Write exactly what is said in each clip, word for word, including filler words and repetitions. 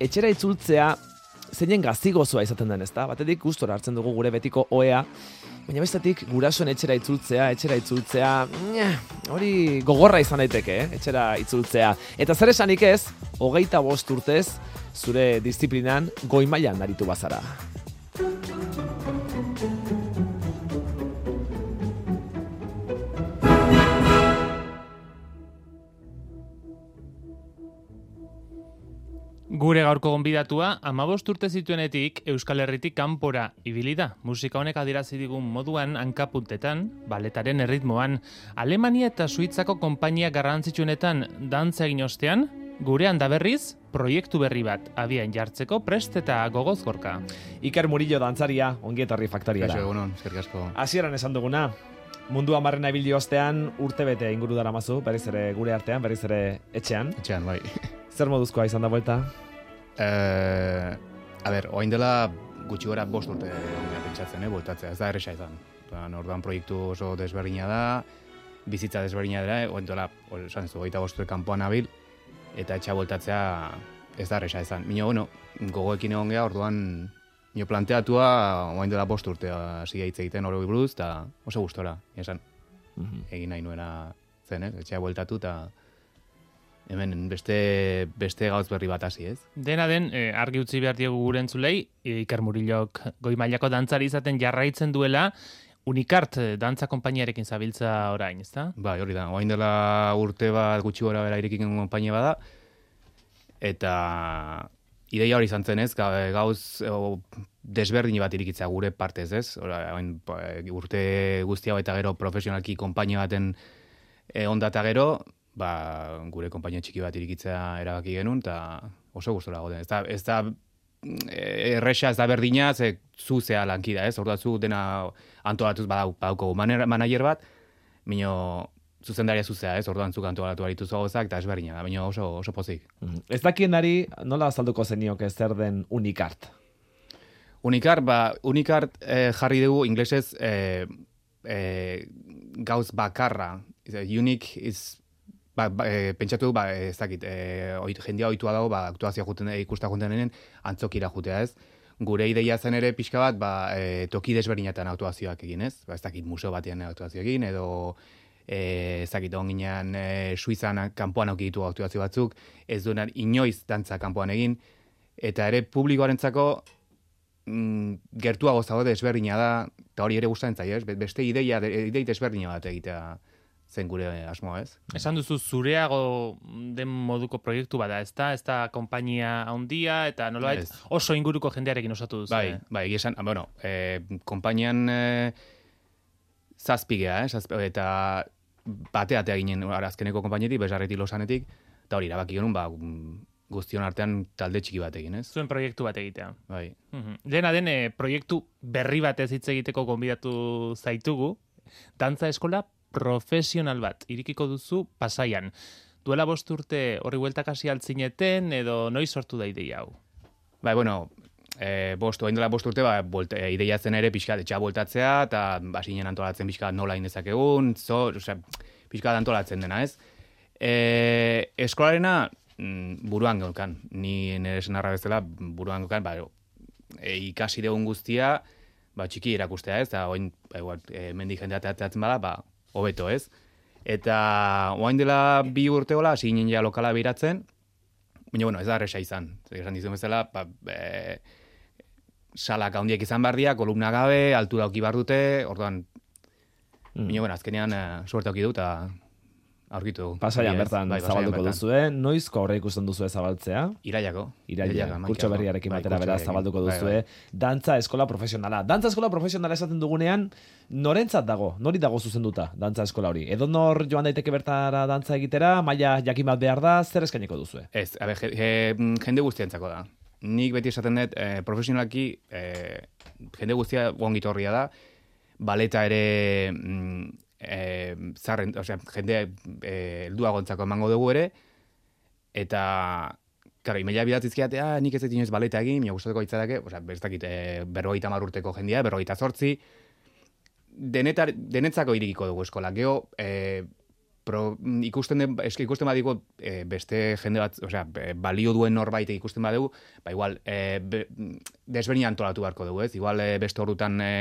etxera itzultzea zeinen gaztigozoa izaten den, ezta? Batetik gustora hartzen dugu gure betiko ohea, baina bestetik gurasoen etxera itzultzea, etxera itzultzea, hori gogorra izan daiteke, eh? Etxera itzultzea. Eta zer esanik ez, hogeita bost urtez, zure disiplinan goi mailan aritu bazara. Gure gaurko gonbidatua, hamabost urte zituenetik Euskal Herritik kanpora ibili da. Musika honek adierazi digun moduan hankapuntetan, baletaren erritmoan, Alemania eta Suitzako konpainia garrantzitsuenetan dantza egin ostean, gurean da berriz, proiektu berri bat abian jartzeko prest eta gogoz gorka. Iker Murillo dantzaria, ongi etorri Faktariara. Kaixo egunon, eskerrik asko. Hasieran esan duguna, mundu hamarrena ibili ostean urtebete inguru daramazu, berriz ere gure artean, berriz ere etxean. Etxean, bai. Zer moduzkoa izan da buelta? Eh, a ber, oain dela gutxi gora bost urte pentsatzen, eh, bueltatzea, ez da erresa izan. Orduan proiektu oso desberdina da, bizitza desberdina dela, oain dela, esan ez du, hogeita bost urte kanpoan nabil, eta etxea bueltatzea ez da erresa izan. Mino, bueno, gogoekin egon geha, orduan, nio planteatua, oain dela bost urte hasi hitz egiten hori buruz, eta oso gustora, esan, mm-hmm. egin nahi nuena zen, ez, etxea bueltatu, eta hemen beste beste gauz berri bat hasi, ez? Dena den, eh, argi utzi behar diegu gure entzulei, Iker Murillok goi mailako dantzari izaten jarraitzen duela, Unikart dantza konpainiarekin zabiltza orain, ezta? Bai, hori da. Orain dela urte bat gutxi gora bera irekin konpainia bada, eta ideia hori izan zen, ez? Gauz o, desberdin bat irikitzea gure partez, ez? Ora, orain urte guzti hau eta gero profesionalki konpainia baten e, ondata gero, ba, gure konpainia txiki bat irikitzea erabaki genuen, eta oso gustora goten. Ez da, ez da erresa, ez da berdina, ze zu zea lankida, ez? Orduan zu dena antolatuz badauko manager bat, mino zuzendaria zuzea, ez? Orduan zuk antolatu aritu zogozak, eta ez berdina da, mino oso, oso pozik. Ez dakienari nola azalduko zenioke zer den Unikart? Unikart, ba, Unikart eh, jarri dugu inglesez eh, eh, gauz bakarra. Unique is Ba, ba, e, pentsatu du, ba, ez dakit, e, oit, jendia ohitua dago, ba, aktuazioa juten, ikusta juten denen, antzokira jutea, ez? Gure ideia zen ere pixka bat, ba, e, toki desberdinetan aktuazioak egin, ez? Ba, ez dakit, museo batean aktuazio egin, edo e, ez dakit, onginean e, Suizan kanpoan aukitu aktuazio batzuk, ez duenan inoiz dantza kanpoan egin, eta ere publikoarentzako mm, gertuago zago desberdina da, eta hori ere gustatzen zaio, ez? Beste ideia, idei desberdina bat egitea zen gure asmoa, ez? Esan duzu zureago den moduko proiektu bada, ez da? Ez da konpainia handia eta nolabait oso inguruko jendearekin osatu duzu. Bai, bai, esan, bueno, eh, konpainian eh, zazpigea, eh, zazpigea, eta bateatea ginen azkeneko konpainetik, besarretik losanetik, eta hori, erabaki genuen, ba, guztion artean talde txiki bat egin, ez? Zuen proiektu bat egitea. Bai. Mhm. Dena den, eh, proiektu berri batez hitz egiteko gonbidatu zaitugu, dantza eskola profesional bat, irikiko duzu Pasaian. Duela bost urte horri bueltak hasi altzineten, edo noiz sortu da ideia hau? Bai, bueno, e, bost, oain dela bost urte, ba, bolte, e, ideia zen ere pixka etxea bueltatzea, eta basinen antolatzen pixka nola indezakegun, zo, osea, pixka antolatzen dena, ez? E, eskolarena mm, buruan gaukan, ni nire senarra bezala buruan gaukan, ba, e, ikasi degun guztia, ba, txiki erakustea, ez? Eta oain, ba, igual, e, mendik jendea teatzeatzen bada, ba, hobeto, ez? Eta oain dela bi urteola, hasi ginen ja lokala biratzen, baina, bueno, ez da erresa izan. Esan dizuen bezala, ba, e, salak handiak izan behar dira, kolumna gabe, altura auki behar dute, orduan, mm. baina, bueno, azkenean uh, suerte auki dut, eta aurkitu. Pasaian bertan bai, zabalduko duzue, noizko aurre ikusten duzue zabaltzea? Irailako. Irailako, kurtso berriarekin batera beraz zabalduko duzue. Bai, bai. Dantza eskola profesionala. Dantza eskola profesionala esaten dugunean, norentzat dago? Nori dago zuzenduta dantza eskola hori? Edo nor joan daiteke bertara dantza egitera, maila jakin bat behar da, zer eskainiko duzue? Ez, a ber, jende guztientzako da. Nik beti esaten dut, eh, profesionalki, eh, jende guztia ongitorria da, baleta ere mm, eh, zarren, osea, jende eh, helduagontzako emango dugu ere, eta, claro, imeila bidatzizkiate, ah, nik ez dut inoiz baleta egin, mila gustatuko hitzadake, osea, bestakit, eh, berrogeita hamar urteko jendea, berrogeita zortzi, denetar, denetzako irikiko dugu eskola. Geo, eh, pro, ikusten den, eske ikusten badigu e, beste jende bat, osea, balio duen norbait ikusten badugu, ba igual, e, be, desberdin antolatu beharko dugu, ez? Igual e, beste horrutan e,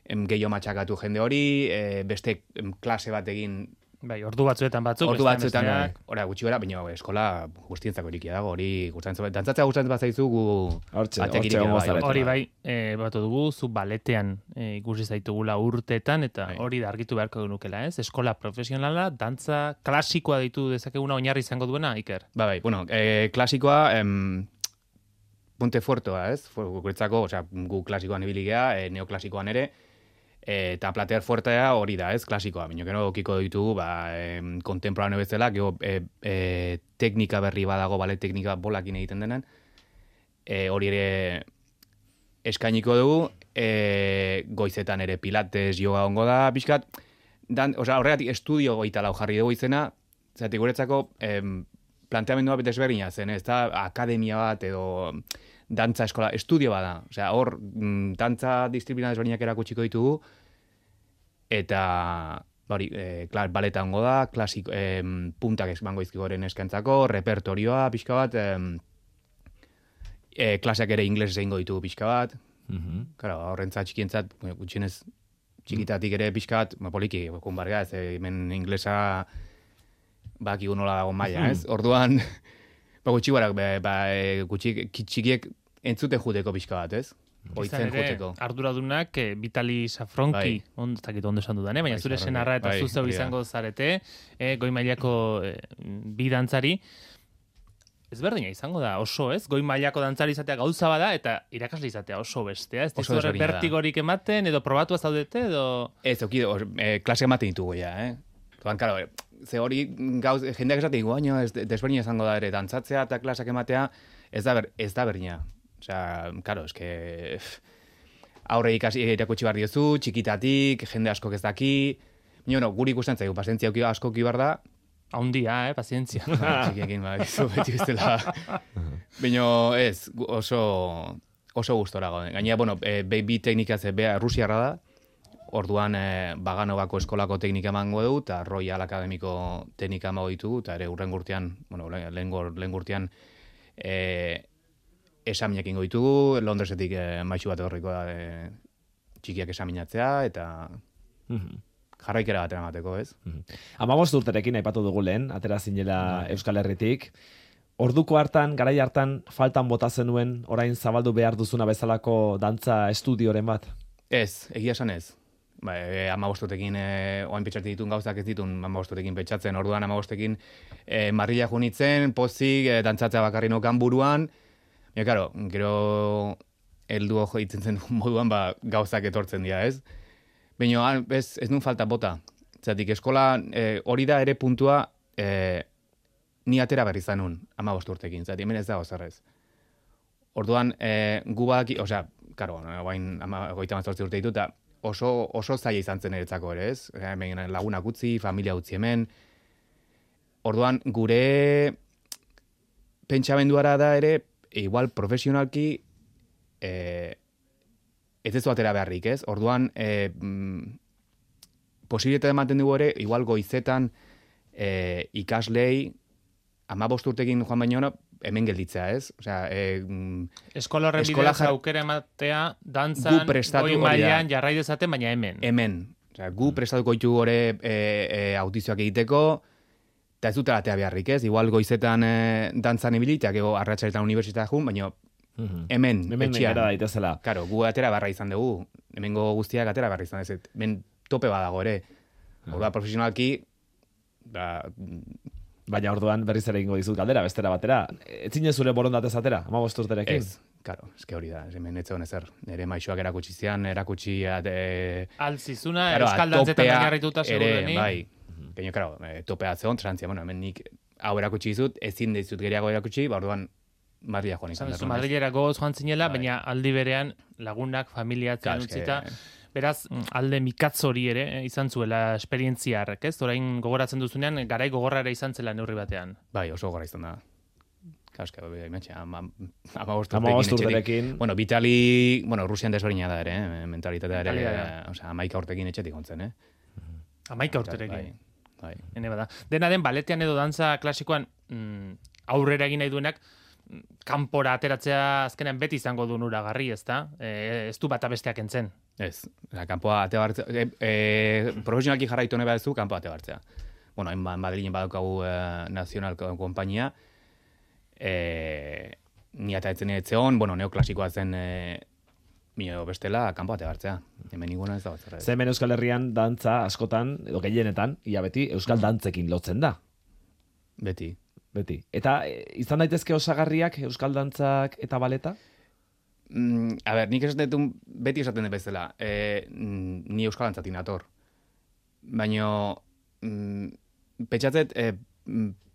gehiago matxakatu jende hori, e, beste em, klase bat egin. Bai, ordu batzuetan batzuk. Ordu batzuetan, ora gutxi bera, baina eskola guztientzako irikia dago, hori gustatzen, dantzatzea gustatzen bazaizu gu hortxe, batek hortxe irikia gongo bai. zarete. Hori bai, e, batu dugu, zu baletean e, ikusi zaitugula urteetan, eta Bai. hori da argitu beharko genukela, ez? Eskola profesionala, dantza klasikoa ditu dezakeguna oinarri izango duena, Iker? Ba, bai, bueno, e, klasikoa, em, punte fuertoa, ez? Guretzako, osea, gu klasikoan ibili gea, e, neoklasikoan ere, e, eta plater fuertea hori da, ez? Klasikoa, baina gero okiko ditugu, ba, em, kontemporane bezala, gero e, e, teknika berri badago, bale, teknika bolakin egiten denen, e, hori ere eskainiko dugu, e, goizetan ere pilates, yoga ongo da, pixkat, dan, osea, horregatik estudio goita lau jarri dugu izena, zati guretzako em, planteamendua desberdina zen, ez da akademia bat edo dantza eskola, estudio bada. Osea, hor mm, dantza disiplina desberdinak erakutsiko ditugu, eta hori, e, klar, baleta ongo da, klasik, em, puntak emango izkigoren eskantzako, repertorioa pixka bat, em, e, klaseak ere inglesez egingo ditugu pixka bat, Mhm. claro, horrentzat txikientzat, gutxienez txikitatik ere pixka bat, ma poliki, kun barga, ez, hemen inglesa bakigu nola dago maila, ez? Orduan, ba, gutxi barak, ba, ba, e, gutxi, txikiek entzute juteko pixka bat, ez? Izan Oitzen ere, juteko. arduradunak eh, Vitali Safronki, Bai. on, ez dakit ondo esan dudan, eh? Baina Bai, zure Safronki, senarra eta bai, zuzeu hori da. izango zarete, eh, goi mailako eh, bi dantzari, ezberdina izango da, oso, ez? Goi mailako dantzari izatea gauza bada, eta irakasle izatea oso bestea, ez Oso dizu horrek desberdina da. bertigorik ematen, edo probatu zaudete, edo... Ez, oki, or, e, klase ematen ditugu ja, eh? Orduan, karo, e, ze hori gauz, jendeak esaten digu, baina ez desberdina izango da ere, dantzatzea eta klasak ematea, ez da, ber, ez da berdina. Osea, karo, eske... Aurre ikasi irakutsi behar diozu, txikitatik, jende askok ez daki, baina, no, guri ikusten zaigu, pazientzia asko ki behar da, Haundia, eh, pazientzia. txikiekin, ba, izu, beti bestela. Baina, ez, gu- oso, oso gustora gauden. Gainera, bueno, e, be- bi teknika ze, bea, Rusiarra da, orduan e, Baganovako eskolako teknika emango dugu, eta Royal Akademiko teknika emango ditugu, eta ere urren gurtean, bueno, lehen lehen gurtean, e, esaminak ingo ditugu, Londresetik e, maixu bat horriko da e, txikiak esaminatzea, eta Mhm. jarraikera batera emateko, ez? Hamabost urterekin aipatu dugu lehen, atera zinela Euskal Herritik. Orduko hartan, garai hartan, faltan bota zenuen, orain zabaldu behar duzuna bezalako dantza estudioren bat? Ez, egia esan ez. Ba, e, amabostotekin, e, oain petxatik ditun gauzak ez ditun amabostotekin petxatzen. Orduan amabostekin e, marrila junitzen, pozik, e, dantzatzea bakarri nokan buruan. Ja, karo, gero heldu ojo ditzen zen moduan ba, gauzak etortzen dira, ez? Baina ez, ez nun falta bota. Zatik, eskola e, hori da ere puntua e, ni atera berri zanun amabost urtekin. Zatik, hemen ez dago zerrez. Orduan, e, gu badaki, osea, karo, guain goita mazortzi urte ditu, eta oso, oso zaila izan zen eretzako ere, ez? Hemen lagunak utzi, familia utzi hemen. Orduan, gure pentsamenduara da ere, igual profesionalki, e, ez ez atera beharrik, ez? Orduan, e, mm, posibilitatea ematen dugu ere, igual goizetan e, ikaslei, amabost urtekin joan baino, hemen gelditzea, ez? Osea, e, mm, Eskola horren Eskola bidez jar- aukera ematea, dantzan, Gu prestatu goi hori da. mailan jarrai dezaten, baina hemen. hemen. Osea, gu prestatuko ditu gore e, e, audizioak egiteko, eta ez dutela atea beharrik, ez? Igual goizetan e, dantzan ibili, eta gero arratsaretan unibertsitatea jun, baina Mhm. hemen, Hemen etxean. gara daitezela. Karo, gu atera barra izan dugu. Hemengo guztiak atera barra izan ez. Ben tope badago ere. Orduan profesionalki, da, Baina orduan berriz ere egingo dizut galdera, bestera batera. Ez zine zure borondatez atera, hamabost urterekin? ez. Karo, eske hori da. Hemen ez zegoen ezer. Nere maixoak erakutsi zian, erakutsi... E, Altzizuna, Claro, euskal dantzetan topea oinarrituta ere, seguruenik. bai. Gaino, claro, e, topea zeon, trantzia, bueno, hemen nik hau erakutsi dizut, ezin dizut gehiago erakutsi, ba, orduan Madrila joan izan. Esan duzu da, Madrilera gogoz joan zinela, Bai. baina aldi berean lagunak, familiatzen Claro, eske- utzita. Beraz, alde mikatz hori ere eh, izan zuela esperientziarrek, ez? Orain gogoratzen duzunean, garai gogorra ere izan zela neurri batean. Bai, oso gora izan da. Claro, eske, bai, imatxe, ama, amabost Hamabost urtekin etxetik. urterekin. Bueno, Vitali, bueno, Rusian desberdina da ere, eh? mentalitatea ere, Mentalitatea. osea, amaika urtekin etxetik ontzen, eh? Amaika urterekin. Bai. Bai. Hene bada. Dena den, baletean edo dantza klasikoan mm, aurrera egin nahi duenak, kanpora ateratzea azkenean beti izango du nuragarri, ezta? E, ez du bata besteak entzen. Ez, oza, kanpoa ate bartzea, e, e, profesionalki jarraitu nahi baduzu, kanpoa ate bartzea. Bueno, hain Madrilen badaukagu e, nazional konpainia, e, ni eta etzen etzeon, bueno, neoklasikoa zen e, mino bestela, kanpoa ate bartzea. Hemen ninguna ez da batzera. Ze hemen Euskal Herrian dantza askotan, edo gehienetan, ia beti, Euskal dantzekin lotzen da. Beti. Beti. Eta e, izan daitezke osagarriak Euskal dantzak eta baleta? Mm, a ber, nik esaten dut, beti esaten dut bezala, e, ni Euskal dantzatik nator. Baina, mm, petxatzet, e,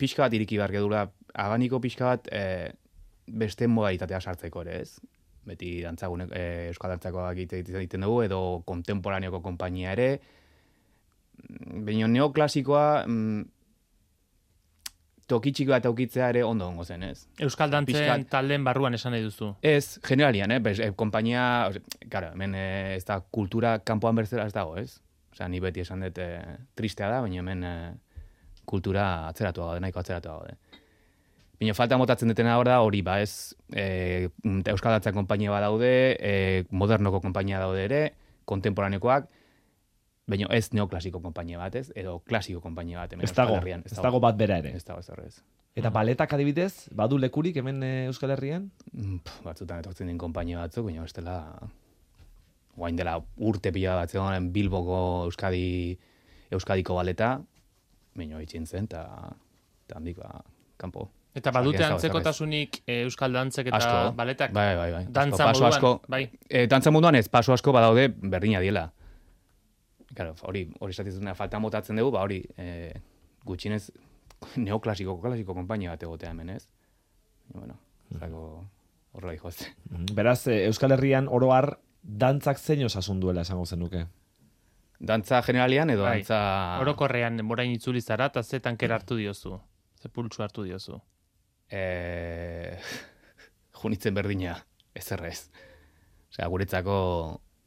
pixka bat iriki behar gedula, abaniko pixka bat e, beste modalitatea sartzeko ere, ez? Beti dantzagunek, e, Euskal dantzakoak egiten dugu, edo kontemporaneoko konpainia ere. Baina neoklasikoa, mm, tokitxiko eta aukitzea ere ondo ongo zen, ez? Euskal dantzen Piskat, talden barruan esan nahi duzu. Ez, generalian, eh? Bez, eh, kompainia, claro, hemen eh, ez da kultura kanpoan berzela ez dago, ez? Osea, ni beti esan dut eh, tristea da, baina hemen eh, kultura atzeratu gaude, nahiko atzeratu gaude. Baina falta motatzen dutena hor da, hori ba, ez, eh, Euskal dantzan konpainia bat daude, eh, modernoko konpainia daude ere, kontemporanekoak, baina ez neoklasiko konpainia bat, ez? Edo klasiko konpainia bat. Ez dago, ez dago bat bera ere. Ez dago ez ez. Eta baletak adibidez, badu lekurik hemen e, Euskal Herrian? Mm, pff, batzutan etortzen den konpainia batzuk, baina bestela guain dela urte pila bat zegoen Bilboko Euskadi, Euskadiko baleta, baina itxin zen, eta handik ba, kanpo. Eta badute antzekotasunik e, Euskal dantzek eta asko. baletak? Bai, bai, bai. Dantza asko, moduan, asko, bai. E, dantza munduan ez, paso asko badaude berdina diela. Claro, hori, hori esatzen falta motatzen dugu, ba hori, e, gutxinez neoklasiko, klasiko konpainia bat egotea hemen, ez? Bueno, zako horrela dihoz. Beraz, Euskal Herrian oro har dantzak zein osasun duela esango zenuke? Dantza generalian edo Bai. dantza... Orokorrean denborain itzuli zara, eta ze tankera hartu diozu? Ze pultsu hartu diozu? E... Junitzen berdina, ez errez. Osea, guretzako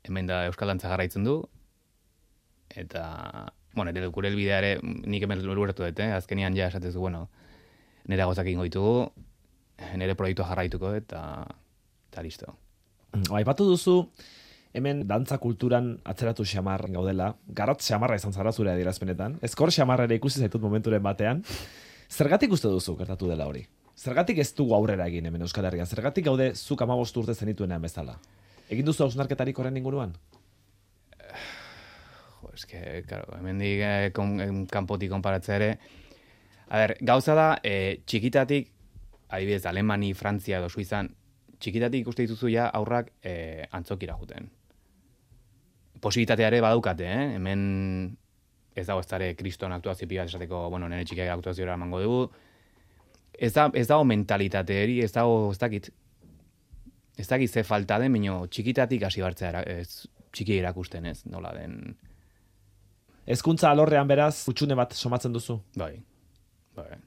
hemen da Euskal dantza jarraitzen du, eta, bueno, ere gure elbidea ere, nik hemen lurertu dut, eh? Azkenian ja esatezu, bueno, nire gozak ingo ditugu, nire proiektua jarraituko, eta, eta listo. Aipatu duzu, hemen dantza kulturan atzeratu xamar gaudela, garrat xamarra izan zara zure adierazpenetan, ezkor xamarra ere ikusi zaitut momenturen batean, zergatik uste duzu gertatu dela hori? Zergatik ez dugu aurrera egin hemen Euskal Herrian? Zergatik gaude zuk hamabost urte zenituenean bezala? Egin duzu hausnarketarik horren inguruan? Jo, eske, claro, hemen dik eh, kon, kanpotik konparatzea ere. A ber, gauza da, eh, txikitatik, adibidez, Alemani, Frantzia edo Suizan, txikitatik ikuste dituzu ja aurrak eh, antzokira juten. Posibilitatea ere badaukate, eh? Hemen ez dago ez dara kriston aktuazio pila esateko, bueno, nire txikiak aktuazioa emango dugu. Ez, da, ez dago mentalitate eri, ez dago, ez dakit, ez dakit ze falta den, baina txikitatik hasi bartzea, ez, txiki erakusten ez, nola den... Hezkuntza alorrean beraz, utxune bat somatzen duzu? Bai, bai.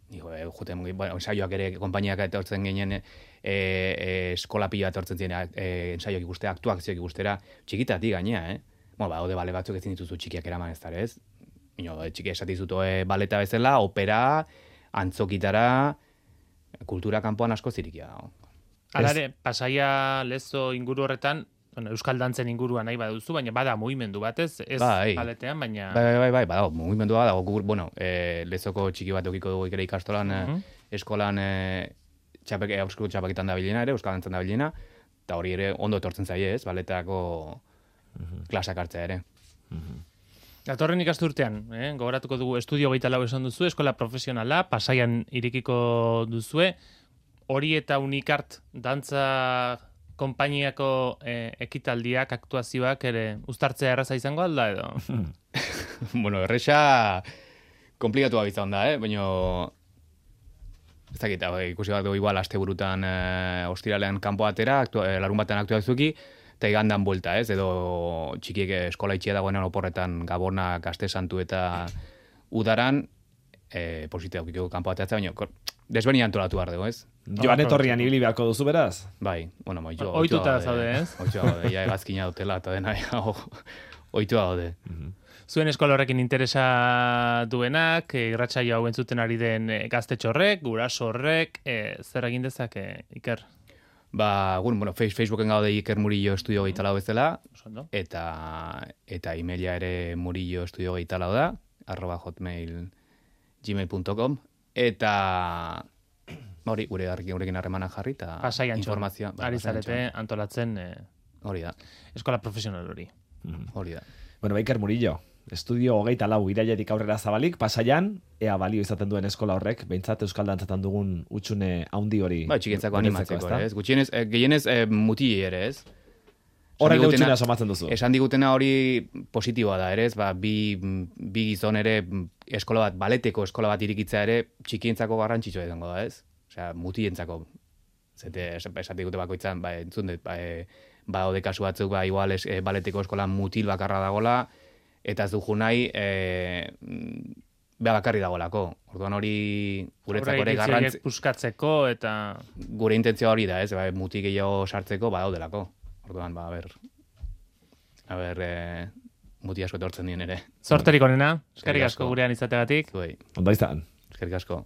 Nigo, e, juten, bueno, ensaioak ere, konpainiak etortzen ginen, e, e, eskola pila etortzen ziren, e, ensaioak ikustera, aktuazioak ikustera, txikitatik gainea, eh? Bueno, ba, ode bale batzuk ezin dituzu txikiak eraman ez dara, ez? Ino, txiki esatizuto e, baleta bezala, opera, antzokitara, kultura kanpoan asko zirikia dago. Alare, Pasaia, Lezo inguru horretan, bueno, Euskal dantzen inguruan nahi baduzu, baina bada mugimendu batez, ez bai. baletean, baina... Bai, bai, bai, bai, badago, mugimendua badago, gu, bueno, e, Lezoko txiki bat eukiko dugu ikere ikastolan, uh -huh. eskolan, e, txapek, e, eusko txapekitan da bilena ere, Euskal dantzan da bilena, eta hori ere ondo etortzen zaie, ez, baletako uh -huh. klasak hartzea ere. Uh -huh. Datorren ikasturtean, eh? Gogoratuko dugu estudio hogeita lau esan duzu, eskola profesionala, Pasaian irikiko duzue, hori eta Unikart dantza konpainiako eh, ekitaldiak, aktuazioak ere uztartzea erraza izango alda edo? Bueno, erresa komplikatua bizan da, eh? Baina ez dakit, ikusi bat dugu igual asteburutan eh, ostiralean kanpo atera, aktua, eh, larun batean aktuazuki, eta igandan buelta, ez? Edo txikiek eskola itxia dagoenan oporretan Gabona, Kaste Santu eta Udaran, eh, positea ukiko kanpo ateratzea, baina desberdin antolatu behar dugu, ez? Joan etorrian ibili beharko duzu beraz? Bai, bueno, oitua. Oituta zaude, ez? Oitua gaude, ja egazkina dutela, eta dena, ja, oitua gaude. Zuen eskola horrekin interesa duenak, e, irratsaio hau entzuten ari den e, gaztetxo horrek, guraso horrek, e, zer egin dezake, Iker? Ba, bueno, Facebooken gaude Iker Murillo Estudio gehi talau bezala, Osondo. eta eta emaila ere murillo estudio gehi talau da, arroba hotmail gmail punto com, eta hori, gure gurekin harremana jarri, eta Pasai Antxon, informazioa. Ba, ari Pasai zarete Antxon. antolatzen e, Hori da, eskola profesional hori. hori da. Bueno, Iker Murillo, estudio hogeita lau irailetik aurrera zabalik, Pasaian, ea balio izaten duen eskola horrek, behintzat Euskal Dantzatan dugun utxune haundi hori. Ba, txikentzako guretzako, animatzeko, ezta? ez? Gutxienez, eh, gehienez eh, muti ere, ez? Horrek Esan digutena- utxunea somatzen duzu. Esan digutena hori positiboa da, ere, ez? Ba, bi, bi gizon ere eskola bat, baleteko eskola bat irikitzea ere txikientzako garrantzitsua izango da, ez? Osea, mutientzako. Zete, esatik dute bakoitzan, ba, entzun dut, ba, e, ba, ode kasu batzuk, ba, igual es, e, baleteko eskola mutil bakarra dagola, eta ez dugu nahi, e, beha bakarri dagoelako. Orduan hori guretzako ere garrantzi, Puskatzeko eta... gure intentzioa hori da, ez? Ba, muti gehiago sartzeko badaudelako. Orduan, ba, a ber, a ber, e, muti asko etortzen dien ere. Zorterik onena, eskerrik Eskerrik asko asko. gurean izategatik. Zuei, Ondo izan. eskerrik asko.